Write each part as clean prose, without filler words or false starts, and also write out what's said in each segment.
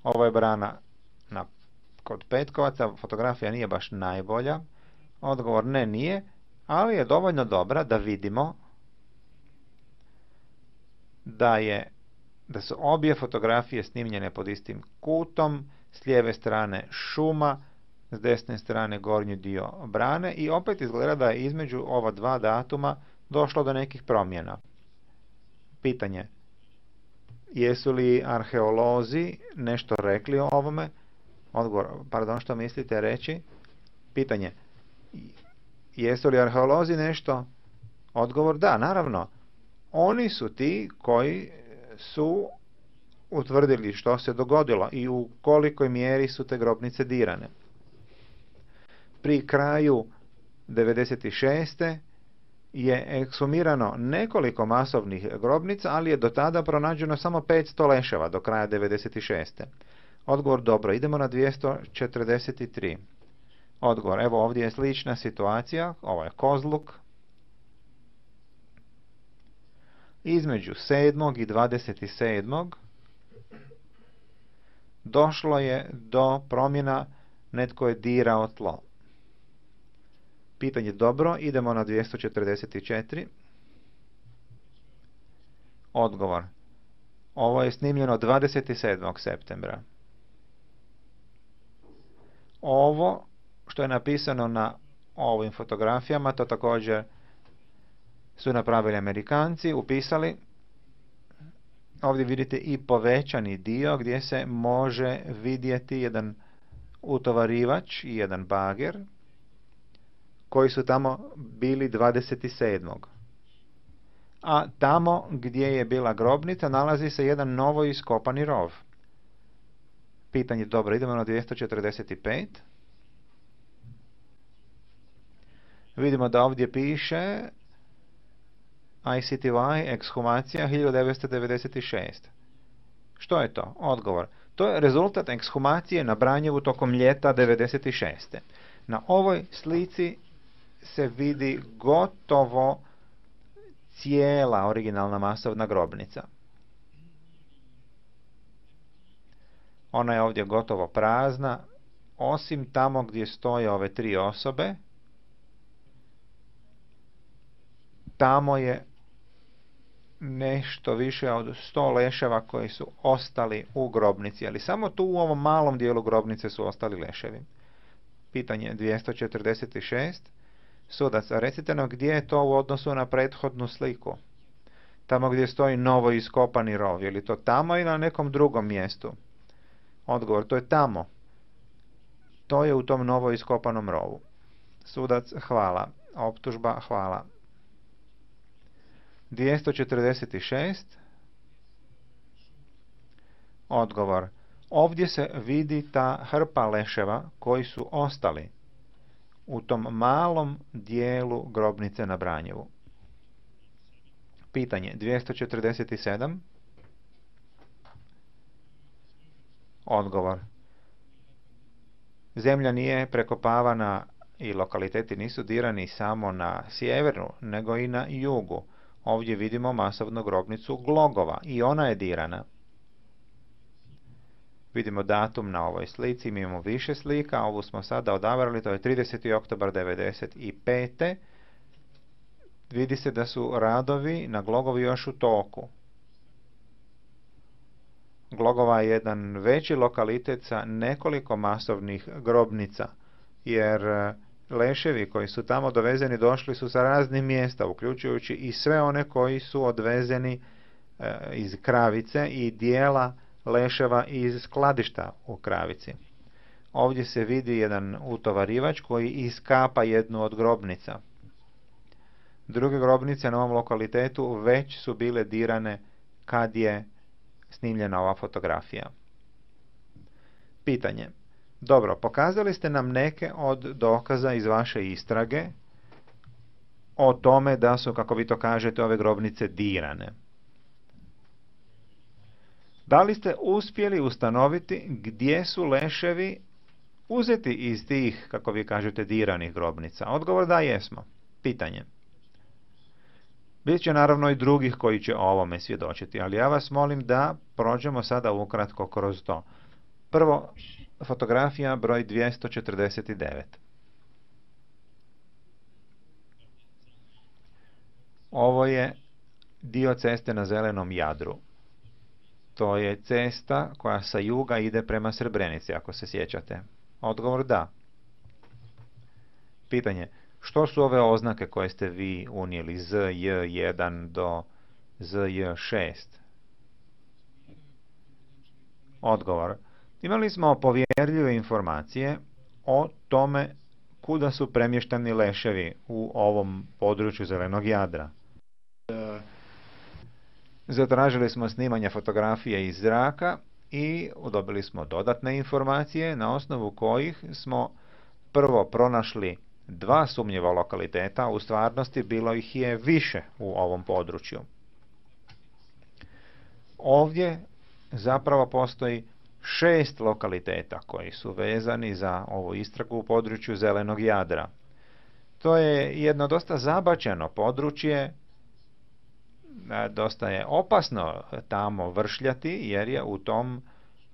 Ovo je brana kod Petkovaca, fotografija nije baš najbolja. Odgovor ne, nije, ali je dovoljno dobra da vidimo da su obje fotografije snimljene pod istim kutom, s lijeve strane šuma, s desne strane gornji dio brane i opet izgleda da je između ova dva datuma došlo do nekih promjena. Pitanje: jesu li arheolozi nešto rekli o ovome? Odgovor: pardon, što mislite reći? Pitanje: jesu li arheolozi nešto? Odgovor: da, naravno. Oni su ti koji su utvrdili što se dogodilo i u kolikoj mjeri su te grobnice dirane. Pri kraju 96. je ekshumirano nekoliko masovnih grobnica, ali je do tada pronađeno samo 500 leševa do kraja 96. Odgovor: dobro, idemo na 243. Odgovor: evo ovdje je slična situacija, ovo je Kozluk. Između 7. i 27. došlo je do promjena, netko je dirao tlo. Pitanje: dobro, idemo na 244. Odgovor: ovo je snimljeno 27. septembra. Ovo što je napisano na ovim fotografijama, to također su napravili Amerikanci, upisali. Ovdje vidite i povećani dio gdje se može vidjeti jedan utovarivač i jedan bager koji su tamo bili 27. A tamo gdje je bila grobnica nalazi se jedan novo iskopani rov. Pitanje: dobro, idemo na 245. Vidimo da ovdje piše ICTY, ekshumacija 1996. Što je to? Odgovor: to je rezultat ekshumacije na Branjevu tokom ljeta 96. Na ovoj slici se vidi gotovo cijela originalna masovna grobnica. Ona je ovdje gotovo prazna, osim tamo gdje stoje ove tri osobe. Tamo je nešto više od 100 leševa koji su ostali u grobnici, ali samo tu u ovom malom dijelu grobnice su ostali leševi. Pitanje 246. Sudac: recite nam gdje je to u odnosu na prethodnu sliku. Tamo gdje stoji novo iskopani rov, je li to tamo ili na nekom drugom mjestu? Odgovor: to je tamo. To je u tom novo iskopanom rovu. Sudac: hvala. Optužba: hvala. 246. Odgovor: ovdje se vidi ta hrpa leševa koji su ostali u tom malom dijelu grobnice na Branjevu. Pitanje 247. Odgovor: zemlja nije prekopavana i lokaliteti nisu dirani samo na sjeveru, nego i na jugu. Ovdje vidimo masovnu grobnicu Glogova i ona je dirana. Vidimo datum na ovoj slici, mi imamo više slika, ovu smo sada odabrali, to je 30. oktobar 95. Vidi se da su radovi na Glogovi još u toku. Glogova je jedan veći lokalitet sa nekoliko masovnih grobnica, jer leševi koji su tamo dovezeni došli su sa raznih mjesta, uključujući i sve one koji su odvezeni iz Kravice i dijela leševa iz skladišta u Kravici. Ovdje se vidi jedan utovarivač koji iskapa jednu od grobnica. Druge grobnice na ovom lokalitetu već su bile dirane kad je snimljena ova fotografija. Pitanje: dobro, pokazali ste nam neke od dokaza iz vaše istrage o tome da su, kako vi to kažete, ove grobnice dirane. Da li ste uspjeli ustanoviti gdje su leševi uzeti iz tih, kako vi kažete, diranih grobnica? Odgovor: da, jesmo. Pitanje: bit će naravno i drugih koji će o ovome svjedočiti, ali ja vas molim da prođemo sada ukratko kroz to. Prvo, fotografija broj 249. Ovo je dio ceste na Zelenom Jadru. To je cesta koja sa juga ide prema Srebrenici, ako se sjećate. Odgovor da. Pitanje, što su ove oznake koje ste vi unijeli ZJ1 do ZJ6? Odgovor. Imali smo povjerljive informacije o tome kuda su premješteni leševi u ovom području Zelenog Jadra. Zatražili smo snimanje fotografije iz zraka i dobili smo dodatne informacije na osnovu kojih smo prvo pronašli 2 sumnjiva lokaliteta, u stvarnosti bilo ih je više u ovom području. Ovdje zapravo postoji 6 lokaliteta koji su vezani za ovu istragu u području Zelenog Jadra. To je jedno dosta zabačeno područje, dosta je opasno tamo vršljati jer je u tom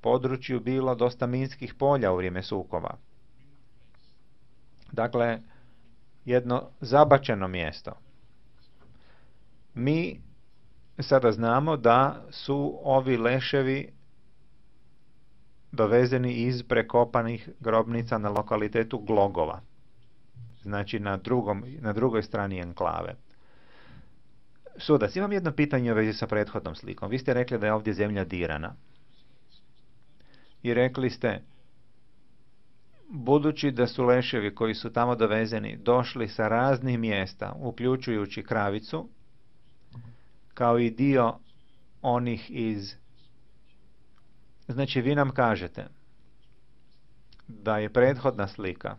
području bilo dosta minskih polja u vrijeme sukoba. Dakle, jedno zabačeno mjesto. Mi sada znamo da su ovi leševi dovezeni iz prekopanih grobnica na lokalitetu Glogova. Znači na drugoj strani enklave. Sudac, imam jedno pitanje u vezi sa prethodnom slikom. Vi ste rekli da je ovdje zemlja dirana. I rekli ste, budući da su leševi koji su tamo dovezeni došli sa raznih mjesta, uključujući Kravicu, kao i dio onih iz... Znači, vi nam kažete da je prethodna slika,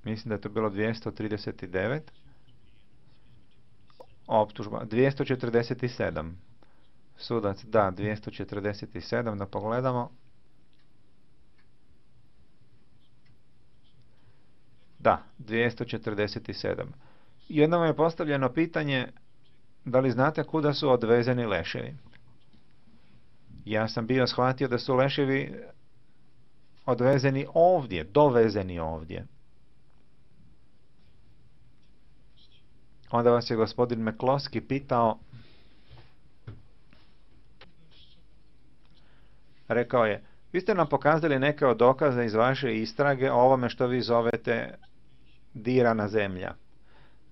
mislim da je to bilo 239, optužba 247. Sudac, da, 247, da pogledamo. Da, 247. Jednom je postavljeno pitanje, da li znate kuda su odvezeni leševi? Ja sam bio shvatio da su leševi odvezeni ovdje, dovezeni ovdje. Onda vas je gospodin McCloskey pitao, rekao je, vi ste nam pokazali neke od dokaza iz vaše istrage o ovome što vi zovete dirana zemlja.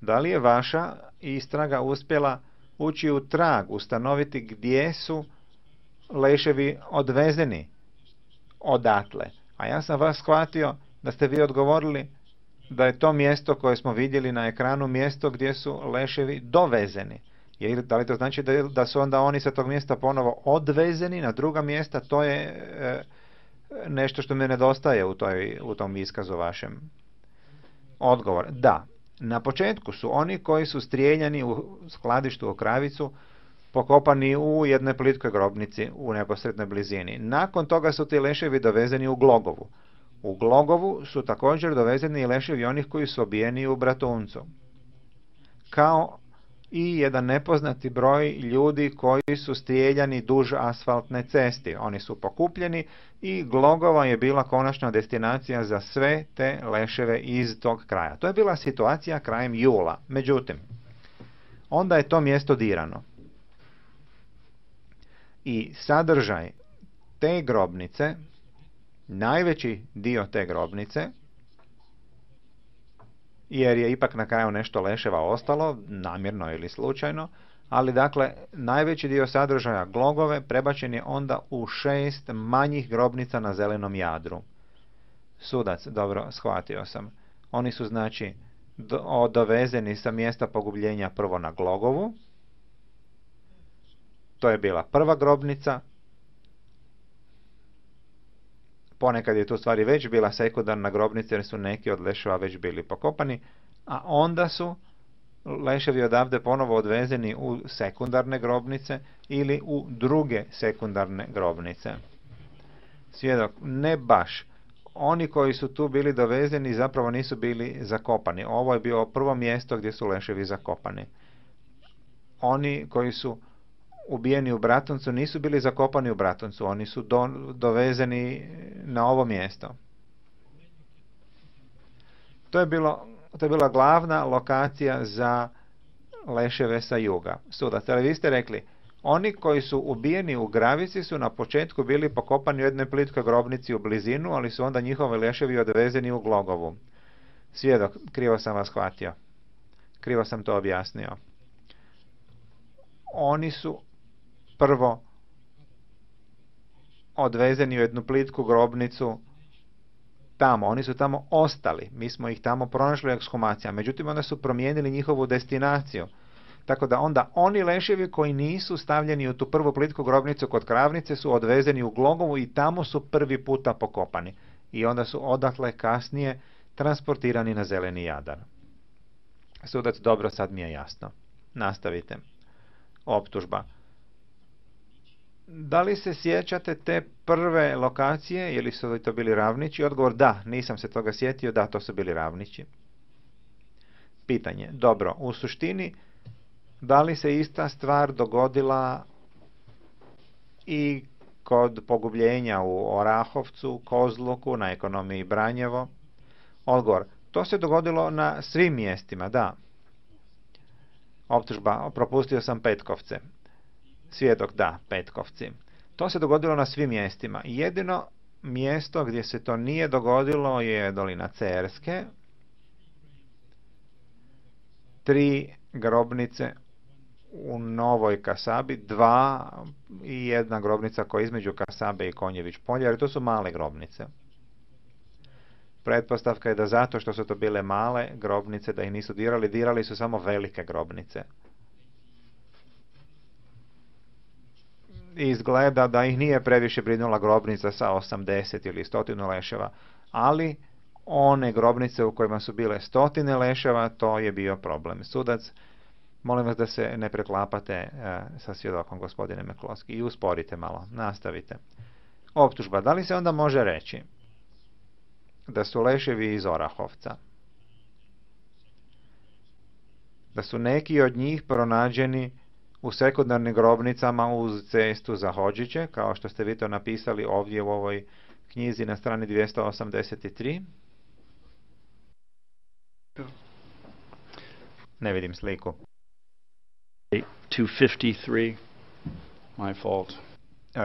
Da li je vaša istraga uspjela ući u trag, ustanoviti gdje su leševi odvezeni odatle? A ja sam vas shvatio da ste vi odgovorili da je to mjesto koje smo vidjeli na ekranu mjesto gdje su leševi dovezeni. Da li to znači da su onda oni sa tog mjesta ponovo odvezeni na druga mjesta? To je nešto što mi nedostaje u tom iskazu vašem. Odgovor, da. Na početku su oni koji su strijeljani u skladištu u Kravicu pokopani u jednoj plitkoj grobnici u neposrednoj blizini. Nakon toga su ti leševi dovezeni u Glogovu. U Glogovu su također dovezeni i leševi onih koji su obijeni u Bratuncu. Kao i jedan nepoznati broj ljudi koji su strijeljani duž asfaltne cesti. Oni su pokupljeni i Glogova je bila konačna destinacija za sve te leševe iz tog kraja. To je bila situacija krajem jula. Međutim, onda je to mjesto dirano. I sadržaj te grobnice, najveći dio te grobnice, jer je ipak na kraju nešto leševa ostalo, namjerno ili slučajno, ali dakle, najveći dio sadržaja Glogove prebačen je onda u 6 manjih grobnica na Zelenom Jadru. Sudac, dobro, shvatio sam. Oni su znači dovezeni sa mjesta pogubljenja prvo na Glogovu. To je bila prva grobnica. Ponekad je tu stvari već bila sekundarna grobnica jer su neki od leševa već bili pokopani, a onda su leševi odavde ponovo odvezeni u sekundarne grobnice ili u druge sekundarne grobnice. Svjedok, ne baš. Oni koji su tu bili dovezeni zapravo nisu bili zakopani. Ovo je bilo prvo mjesto gdje su leševi zakopani. Oni koji su ubijeni u Bratuncu nisu bili zakopani u Bratuncu, oni su dovezeni na ovo mjesto. To je bila glavna lokacija za leševe sa juga. Sudac, ali vi ste rekli, oni koji su ubijeni u Gravici su na početku bili pokopani u jednoj plitkoj grobnici u blizinu, ali su onda njihovi leševi odvezeni u Glogovu. Svjedok, krivo sam vas shvatio. Krivo sam to objasnio. Oni su prvo odvezeni u jednu plitku grobnicu tamo. Oni su tamo ostali. Mi smo ih tamo pronašli u ekshumacijama. Međutim, onda su promijenili njihovu destinaciju. Tako da onda oni leševi koji nisu stavljeni u tu prvu plitku grobnicu kod Kravnice su odvezeni u Glogovu i tamo su prvi puta pokopani. I onda su odatle kasnije transportirani na Zeleni Jadar. Sudac, dobro, sad mi je jasno. Nastavite. Optužba. Da li se sjećate te prve lokacije, ili su li to bili Ravnići? Odgovor, da, nisam se toga sjetio, da, to su bili Ravnići. Pitanje, dobro, u suštini, da li se ista stvar dogodila i kod pogubljenja u Orahovcu, Kozluku, na ekonomiji Branjevo? Odgovor, to se dogodilo na svim mjestima, da. Optužba, propustio sam Petkovce. Svjedok, da, Petkovci. To se dogodilo na svim mjestima. Jedino mjesto gdje se to nije dogodilo je dolina Cerske. 3 grobnice u Novoj Kasabi, 2 i 1 grobnica koja je između Kasabe i Konjević polja, jer to su male grobnice. Pretpostavka je da zato što su to bile male grobnice, da ih nisu dirali su samo velike grobnice. Izgleda da ih nije previše brinula grobnica sa 80 ili 100 leševa, ali one grobnice u kojima su bile 100 leševa, to je bio problem. Sudac, molim vas da se ne preklapate sa svjedokom, gospodine Mekloski, i usporite malo, nastavite. Optužba, da li se onda može reći da su leševi iz Orahovca, da su neki od njih pronađeni u sekundarnim grobnicama uz cestu za Hodžiće, kao što ste vi to napisali ovdje u ovoj knjizi na strani 283? Ne vidim sliku. 253, my fault.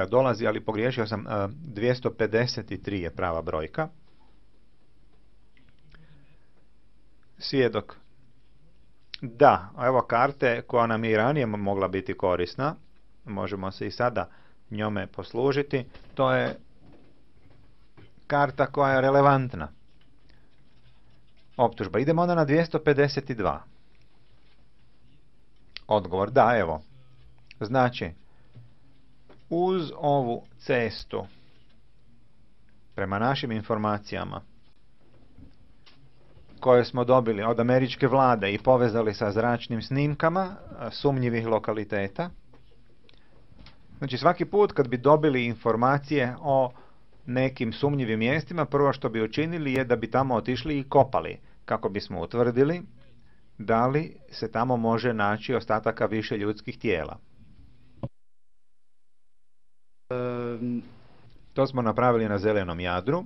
Dolazi, ali pogriješio sam, 253 je prava brojka. Svjedok. Da, evo karte koja nam je i ranije mogla biti korisna. Možemo se i sada njome poslužiti. To je karta koja je relevantna. Optužba. Idemo onda na 252. Odgovor, da, evo. Znači, uz ovu cestu, prema našim informacijama, koje smo dobili od američke vlade i povezali sa zračnim snimkama sumnjivih lokaliteta. Znači, svaki put kad bi dobili informacije o nekim sumnjivim mjestima, prvo što bi učinili je da bi tamo otišli i kopali, kako bismo utvrdili da li se tamo može naći ostataka više ljudskih tijela. To smo napravili na Zelenom Jadru.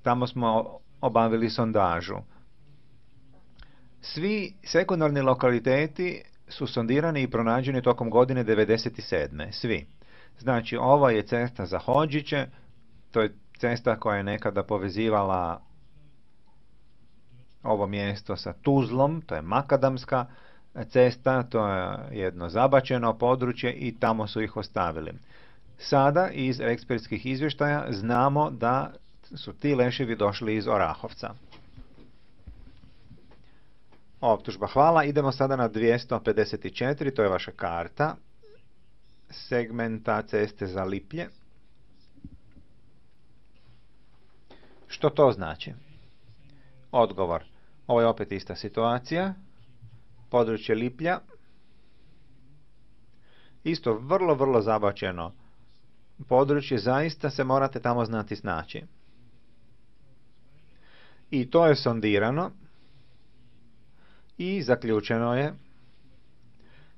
Tamo smo obavili sondažu. Svi sekundarni lokaliteti su sondirani i pronađeni tokom godine 1997. Svi. Znači, ovo je cesta za Hodžiće, to je cesta koja je nekada povezivala ovo mjesto sa Tuzlom, to je makadamska cesta, to je jedno zabačeno područje i tamo su ih ostavili. Sada iz ekspertskih izvještaja znamo da su ti leševi došli iz Orahovca. Optužba, hvala. Idemo sada na 254, to je vaša karta segmenta ceste za Liplje. Što to znači? Odgovor, ovo je opet ista situacija. Područje Liplja. Isto vrlo zabačeno područje, zaista se morate tamo znati snaći. I to je sondirano i zaključeno je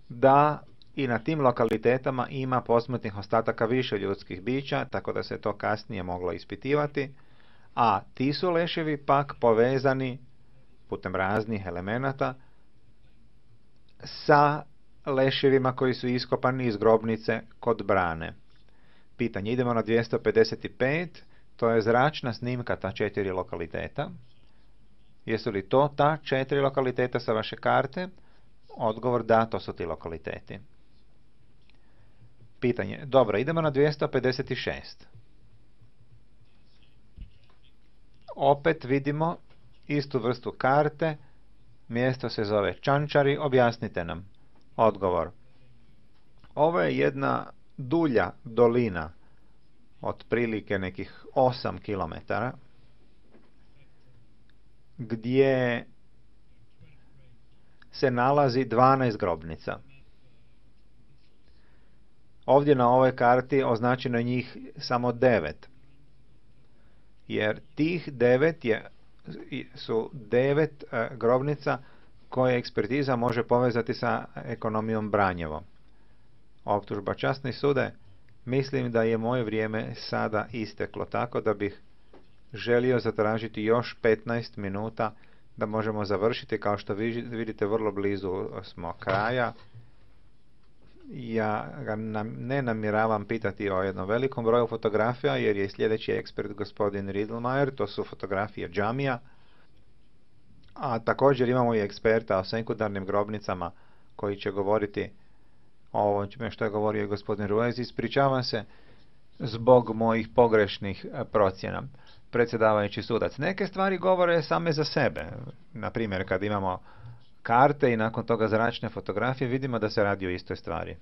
da i na tim lokalitetama ima posmrtnih ostataka više ljudskih bića, tako da se to kasnije moglo ispitivati, a ti su leševi pak povezani putem raznih elemenata sa leševima koji su iskopani iz grobnice kod Brane. Pitanje, idemo na 255, to je zračna snimka ta 4 lokaliteta. Jesu li to ta 4 lokaliteta sa vaše karte? Odgovor da, to su ti lokaliteti. Pitanje, dobro, idemo na 256. Opet vidimo istu vrstu karte, mjesto se zove Čančari, objasnite nam. Odgovor, ovo je jedna dulja dolina, otprilike nekih 8 km, gdje se nalazi 12 grobnica. Ovdje na ovoj karti označeno je njih samo 9, jer tih 9 su 9 grobnica koje ekspertiza može povezati sa ekonomijom Branjevo. Optužba, časni sude, mislim da je moje vrijeme sada isteklo, tako da bih želio zatražiti još 15 minuta da možemo završiti. Kao što vidite, vrlo blizu smo kraja. Ja ga ne namjeravam pitati o jednom velikom broju fotografija, jer je sljedeći ekspert gospodin Riedlmayer, to su fotografije džamija, a također imamo i eksperta o sekundarnim grobnicama koji će govoriti o ovome što je govorio i gospodin Ruiz. Ispričavam se zbog mojih pogrešnih procjena. Predsjedavajući sudac, neke stvari govore same za sebe. Na primjer, kad imamo karte i nakon toga zračne fotografije, vidimo da se radi o istoj stvari.